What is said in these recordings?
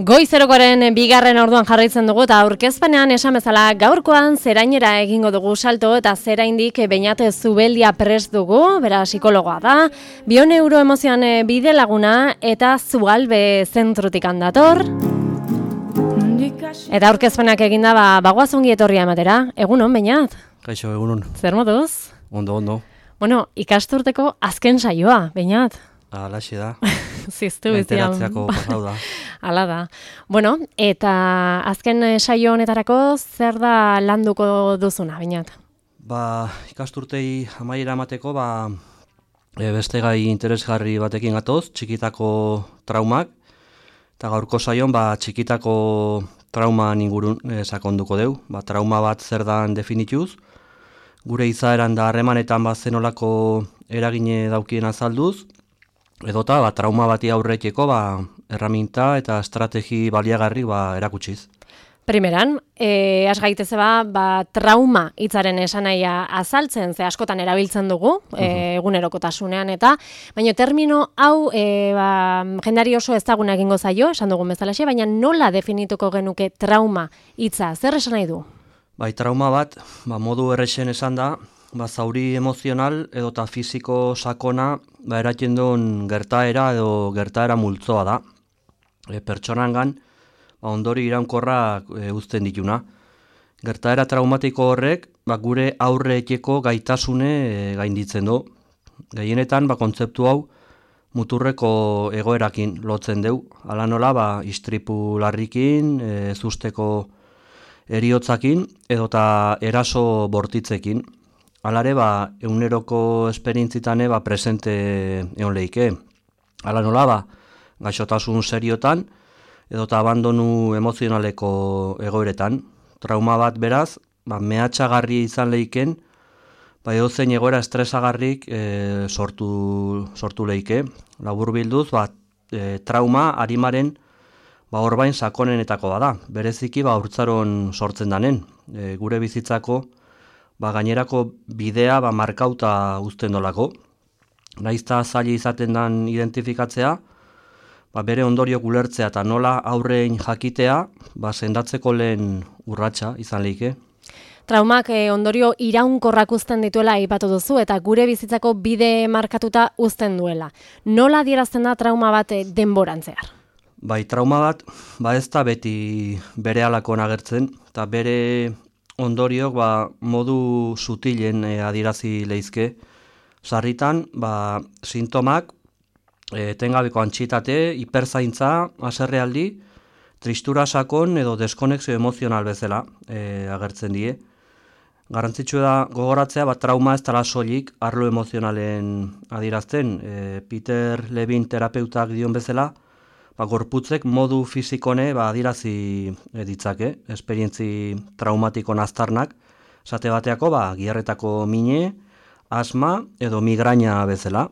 Goizerokoaren bigarren orduan jarraitzen dugu eta aurkezpenean esan bezala gaurkoan zerainera egingo dugu salto eta zeraindik Beñat Zubeldia prest dugu, bera psikologoa da, bioneuroemozioan bide laguna eta Zugalbe zentrutik handator. Eta aurkezpenak eginda bagoaz ongi etorria ematera. Egunon, Beñat? Kaixo, egunon. Zer moduz? Ondo. Bueno, ikasturteko azken saioa, Beñat. Alaxe da. Ziztu bizian. Enteratzeako pasau da. Hala da. Bueno, eta azken saio honetarako zer da landuko duzuna, Beñat? Ikasturtei amaiera emateko, beste gai interesgarri batekin gatoz, txikitako traumak, eta gaurko saion, txikitako trauman ingurun sakonduko deu. Trauma bat zer dan definituz, gure izaeran da harremanetan zenolako eragine daukien azalduz, edota trauma bati aurreteko erraminta eta estrategi baliagarri erakutsiz. Primeran, has gaiteze trauma hitzaren esanaia azaltzen, ze askotan erabiltzen dugu, egunerokotasunean eta, baina termino hau jendari oso ezaguna egingo zaio, esan dugun bezalaxe, baina nola definituko genuke trauma hitza, zer esan nahi du? Trauma bat, modu errexen esan da, zauri emozional edota fisiko sakona eratzen duen gertaera edo gertaera multzoa da. Pertsonangan ondori iraunkorrak uzten dituna. Gertaera traumatiko horrek gure aurreeteko gaitasune gainditzen du. Gehienetan kontzeptu hau muturreko egoerakin lotzen deu. Hala nola istripu larrikin, ezusteko eriotzakin edota eraso bortitzekin. Halare, eguneroko esperientzitane presente egon lehike. Hala nola, gaixotasun seriotan, edota abandonu emozionaleko egoeretan. Trauma bat beraz, mehatxagarri izan lehiken, edozein egoera estresagarrik sortu lehike. Labur bilduz, trauma harimaren orbain sakonenetako bada. Bereziki haurtzaron sortzen danen. Gure bizitzako gainerako bidea markauta uzten dolako. Naizta zaila izaten dan identifikatzea, bere ondorio ulertzea eta nola aurrein jakitea, sendatzeko lehen urratsa izan lehike. Traumak ondorio iraunkorrak uzten dituela aipatu duzu eta gure bizitzako bide markatuta uzten duela. Nola adierazten da trauma bat denborantzear? Trauma bat, ez da beti bere halakon agertzen, eta bere ondoriok modu sutilen adierazi lehizke. Sarritan, sintomak, etengabeko antxitate, hiperzaintza, haserrealdi, tristura sakon edo deskonexio emozional bezala agertzen die. Garrantzitsua da gogoratzea, trauma ez dela soilik arlo emozionalen adierazten. Peter Levine terapeutak dion bezala, gorputzek modu fizikone adierazi ditzake, esperientzi traumatikon aztarnak, esate bateako giarretako mine, asma edo migraina bezala.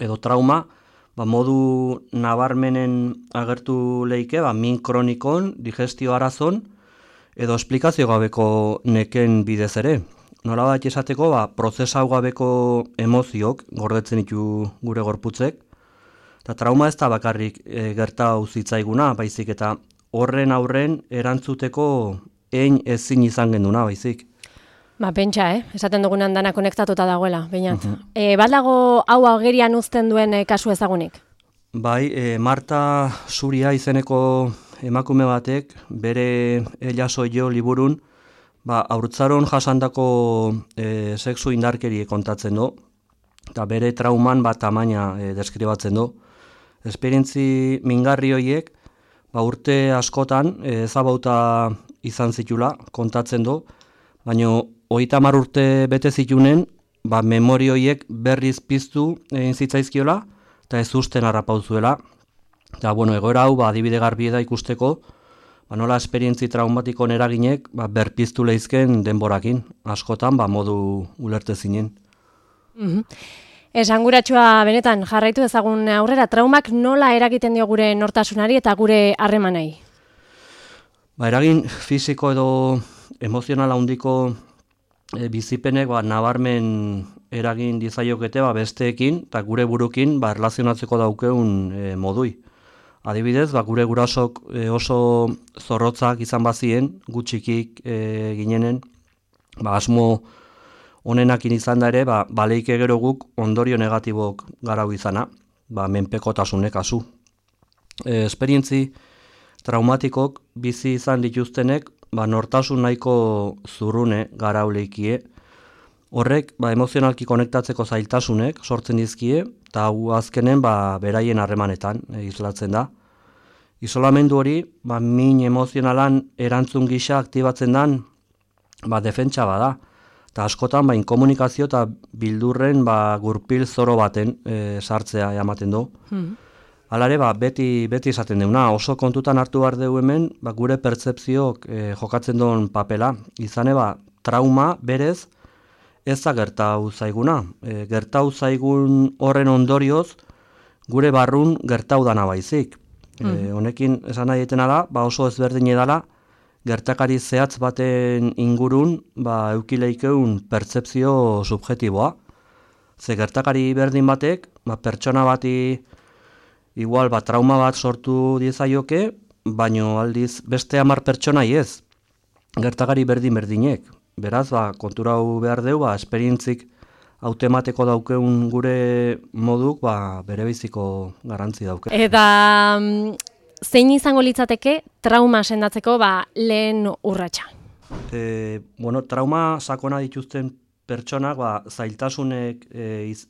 Edo trauma modu nabarmenen agertu lehike, min kronikon, digestio arazon, edo esplikazio gabeko neken bidez ere. Nola bat esateko, prozesau gabeko emoziok gordetzen ditu gure gorputzek, eta trauma ez da bakarrik gerta uzitzaiguna, baizik eta horren aurren erantzuteko ezin izan genduna, baizik. Pentsa, esaten dugunan dana konektatuta dagoela, Beñat. Badago hau agerian uzten duen kasu ezagunik? Marta Zuria izeneko emakume batek bere Elaso jo liburun haurtzaron jasandako sexu indarkerie kontatzen du, eta bere trauman tamaina deskribatzen du. Esperientzi mingarri horiek urte askotan ezabauta izan zitula kontatzen du, baina 30 urte bete zitunen memori horiek berriz piztu egin zitzaizkiola eta ez usten harrapauzuela. Eta egoera hau adibide garbi da ikusteko nola esperientzi traumatikon eraginek berpiztu lehizken denborakin, askotan modu ulertezinen. Esanguratsua benetan jarraitu ezagun aurrera, traumak nola eragiten dio gure nortasunari eta gure harremanei? Eragin fisiko edo emozional handiko bizipenek nabarmen eragin dizaiokete besteekin eta gure burukin erlazionatzeko daukeun modui. Adibidez, gure gurasok oso zorrotzak izan bazien, gutxikik ginenen, asmo honenakin izan da ere, baleike gero guk ondorio negatibok garau izana, menpekotasunek kasu. Esperientzi traumatikok bizi izan dituztenek, nortasun nahiko zurrune garauleikie. Horrek, emozionalki konektatzeko zailtasunek sortzen dizkie, eta hau azkenen beraien harremanetan islatzen da. Isolamendu hori, min emozionalan erantzun gisa aktibatzen dan, defentsa bada. Eta askotan, inkomunikazio eta bildurren gurpil zoro baten sartzea ematen du. Halare, beti esaten deuna, oso kontutan hartu behar dugu hemen, gure pertzepzioak jokatzen duen papela. Izane, trauma berez ez da gertau zaiguna. Gertau zaigun horren ondorioz, gure barrun gertau dana baizik. Honekin esan nahi etena da, oso ezberdin edala, gertakari zehatz baten ingurun eukileikeun pertzepzio subjetiboa. Ze gertakari berdin batek, pertsona bati igual trauma bat sortu diezaioke, baino aldiz beste 10 pertsonai ez. Gertakari berdinek. Beraz, konturau behar dugu, esperientzik hautemateko daukeun gure moduk, bere biziko garrantzi dauke. Eta zein izango litzateke trauma sendatzeko lehen urratsa? Trauma sakona dituzten pertsonak zailtasunek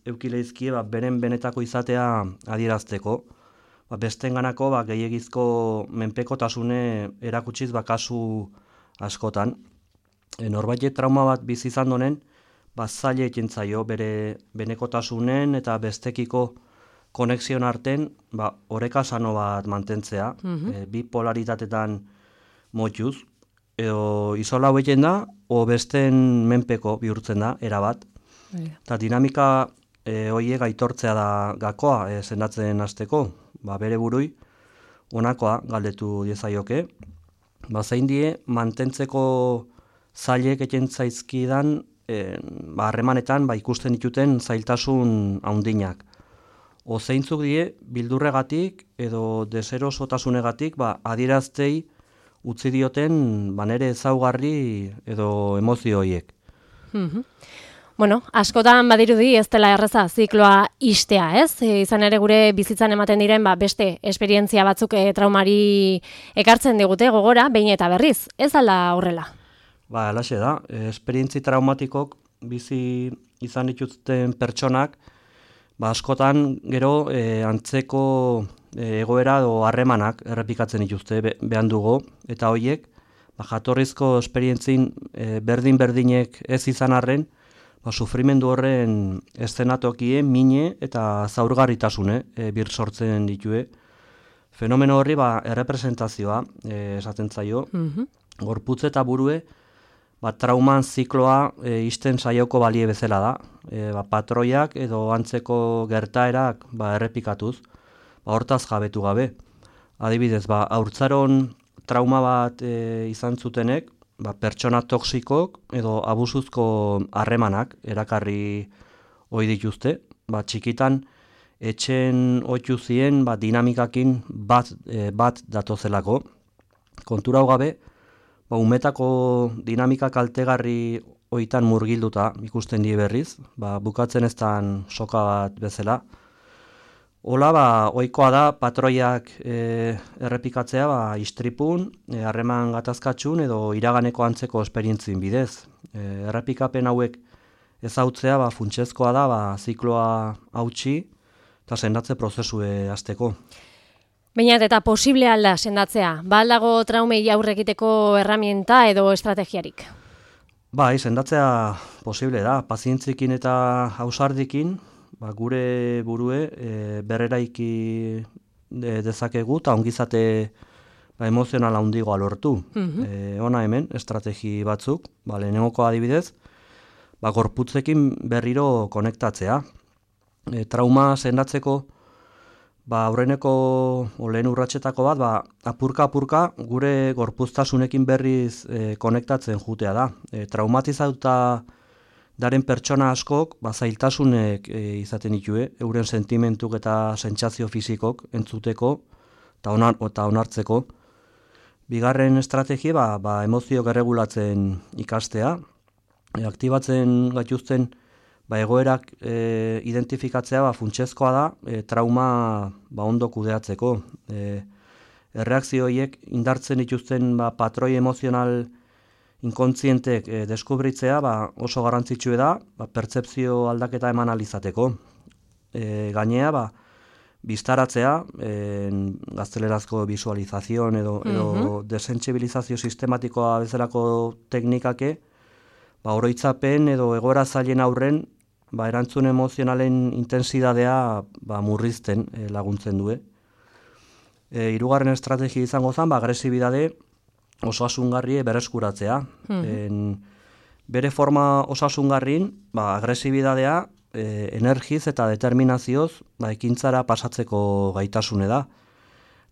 eukileizkie beren benetako izatea adierazteko. Bestenganako gehiegizko menpekotasune erakutsiz kasu askotan. Norbaitek trauma bat bizi izan donen, zaila egiten zaio bere benekotasunen eta bestekiko konexion arten oreka sano bat mantentzea, bi polaritatetan motxuz, edo isola egiten da, o besten menpeko bihurtzen da, erabat. Eta dinamika horiek aitortzea da gakoa sendatzen hasteko, bere burui, honakoa galdetu diezaioke. Zein die, mantentzeko zailek egiten zaizkidan, harremanetan ikusten dituten zailtasun handinak. Zeintzuk die, bildurregatik edo deserosotasunegatik adieraztei utzi dioten nere ezaugarri edo emozio horiek. Askotan badirudi ez dela erreza zikloa istea, ez? Izan ere gure bizitzan ematen diren beste esperientzia batzuk traumari ekartzen digute gogora, behin eta berriz. Ez ala horrela? Halaxe da, esperientzi traumatikok bizi izan dituzten pertsonak, askotan gero antzeko egoera edo harremanak errepikatzen dituzte behan dugu, eta horiek jatorrizko esperientzin berdin-berdinek ez izan arren, sufrimendu horren eszenatokie, mine eta zaurgarritasune bir sortzen ditue. Fenomeno horri errepresentazioa esaten zaio, gorputz eta burue, trauman zikloa isten saioko balie bezala da. Patroiak edo antzeko gertaerak errepikatuz, hortaz jabetu gabe. Adibidez, haurtzaron trauma bat izan zutenek, pertsona toksikok edo abusuzko harremanak erakarri ohi dituzte. Txikitan, etxen ohitu zien dinamikakin bat datozelako. Kontura hau gabe, umetako dinamika kaltegarri hoitan murgilduta ikusten die berriz, bukatzen eztan soka bat bezala. Hola, ohikoa da patroiak errepikatzea istripun, harreman gatazkatxun edo iraganeko antzeko esperientzien bidez. Errepikapen hauek ezautzea funtsezkoa da zikloa hautsi eta sendatze prozesue hasteko. Baina eta posible alda sendatzea, aldago traumei aurre egiteko erramienta edo estrategiarik? Sendatzea posible da, pazientzikin eta ausardikin, gure burue berreraiki dezakegu eta ongizate emozionala handigoa lortu. Hona hemen, estrategi batzuk, lehenengoko adibidez, gorputzekin berriro konektatzea. Trauma sendatzeko aurreneko lehen urratsetako bat, apurka gure gorpuztasunekin berriz konektatzen jutea da. Traumatizatuta daren pertsona askok zailtasunek izaten ditue, euren sentimentuk eta sentsazio fisikok entzuteko eta onartzeko. Bigarren estrategia emozioak erregulatzen ikastea, aktibatzen gaituzten egoerak identifikatzea funtsezkoa da trauma ondo kudeatzeko. Erreakzio horiek indartzen dituzten patroi emozional inkontzientek deskubritzea oso garrantzitsua da pertzepzio aldaketa eman alizateko. Gainea, biztaratzea, gaztelerazko visualizazion edo desentzibilizazio sistematikoa bezalako teknikake, oroitzapen edo egoera zailen aurren erantzun emozionalen intentsidadea murrizten laguntzen du. Hirugarren estrategia izango zen, agresibidade osasungarri berreskuratzea. Bere forma osasungarrin, agresibidadea energiz eta determinazioz ekintzara pasatzeko gaitasune da.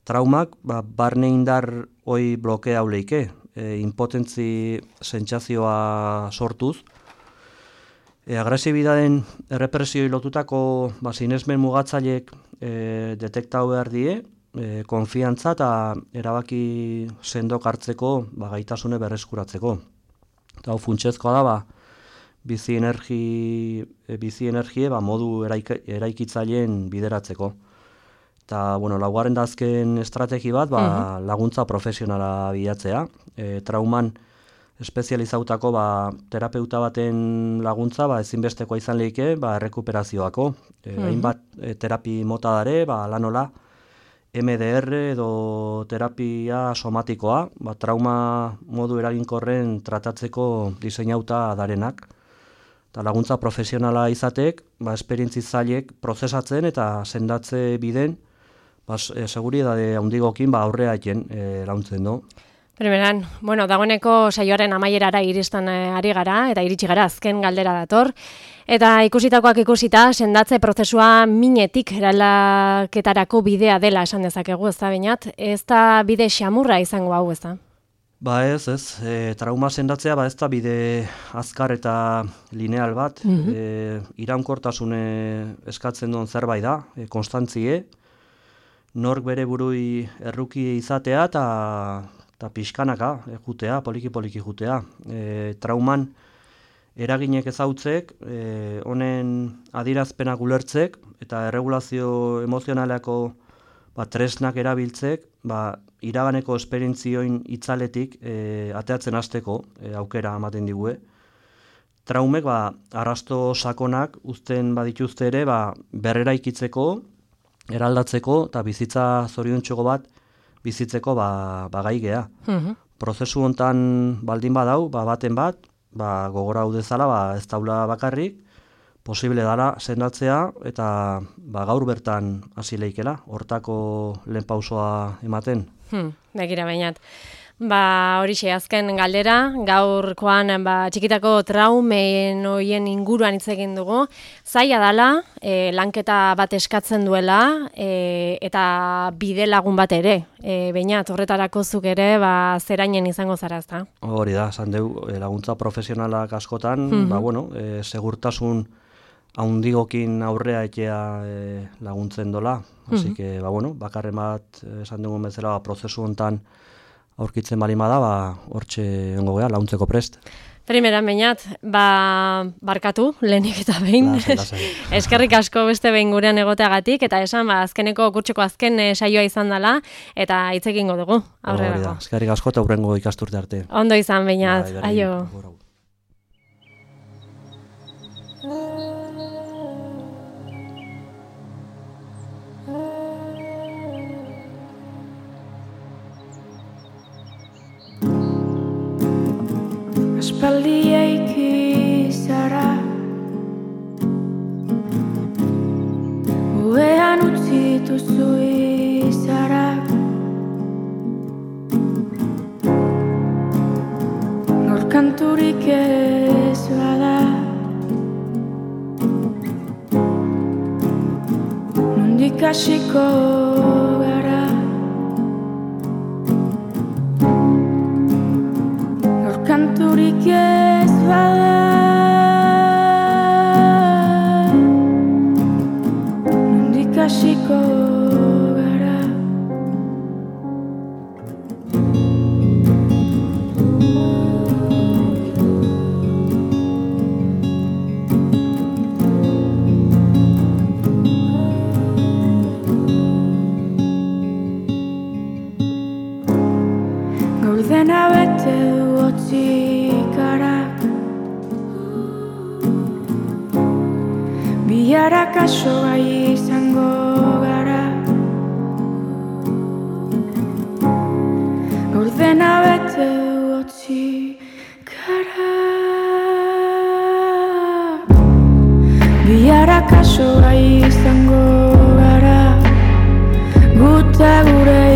Traumak barne indar hoi blokea uleike, impotentzi sentsazioa sortuz. Agresibidaden errepresioi lotutako sinesmen mugatzaileek detektau behar die, konfiantza eta erabaki sendok hartzeko gaitasune berreskuratzeko. Eta funtsezkoa da bizi energie modu eraikitzaileen bideratzeko. Eta, laugarren da azken estrategi bat, laguntza profesionala bilatzea. Trauman espezializautako terapeuta baten laguntza ezinbestekoa izan lehike errekuperazioako. Hainbat terapi mota dare, lanola, MDR edo terapia somatikoa, trauma modu eraginkorren tratatzeko diseinauta darenak. Eta laguntza profesionala izatek, esperientzi zailek prozesatzen eta sendatze biden, seguridade handigokin aurrea eken launtzen du. Primeran, dagoeneko saioaren amaierara iristen ari gara, eta iritsi gara azken galdera dator. Eta ikusitakoak ikusita, sendatze prozesua minetik eraldaketarako bidea dela esan dezakegu, ez da Beñat? Ez da bide xamurra izango hau, ez da? Ez. Trauma sendatzea ez da bide azkar eta lineal bat. Iraunkortasune eskatzen duen zerbait da, konstantzie. Nork bere burui erruki izatea eta pixkanaka jutea, poliki jutea. Trauman eraginek ezautzek, honen adierazpenak ulertzek eta erregulazio emozionaleko tresnak erabiltzek, iraganeko esperientzioin itzaletik ateatzen hasteko aukera ematen digue. Traumek arrasto sakonak uzten badituzte ere berreraikitzeko, eraldatzeko eta bizitza zoriontsuko bat bizitzeko gai gea. Prozesu hontan baldin badau, baten bat, gogora hau dezala, ez daula bakarrik, posible dara sendatzea eta gaur bertan hasi leikela, hortako lehen pausoa ematen. Begira Beñat. Horixe, azken galdera, gaurkoan txikitako traumen hoien inguruan hitz egin dugu. Zaila dela, lanketa bat eskatzen duela, eta bide lagun bat ere. Beñat, horretarako zuk ere, zerainen izango zara, ezta? Hori da, esan dugu, laguntza profesionalak askotan, segurtasun haundigokin aurrea etea laguntzen dola. Así que, bakarren bat, esan dugu bezala, prozesu hontan aurkitzen balima da, hortxe ongo gea, laguntzeko prest. Primeran Beñat, barkatu, lehenik eta behin. Eskerrik asko beste behin gurean egoteagatik, eta esan, azkeneko kurtseko azken saioa izan dela, eta hitz egingo dugu, aurrerako. Eskerrik asko eta hurrengo ikasturte arte. Ondo izan, Beñat, aio. Aspaldi eiki zara, uean utzitu zu izara, nor kanturik ez bada, nondik hasiko gara. Kanturik ez bada, bihar akaso gai izango gara. Gaur dena bete utzi gara. Bihar akaso gai izango gara. Guta gure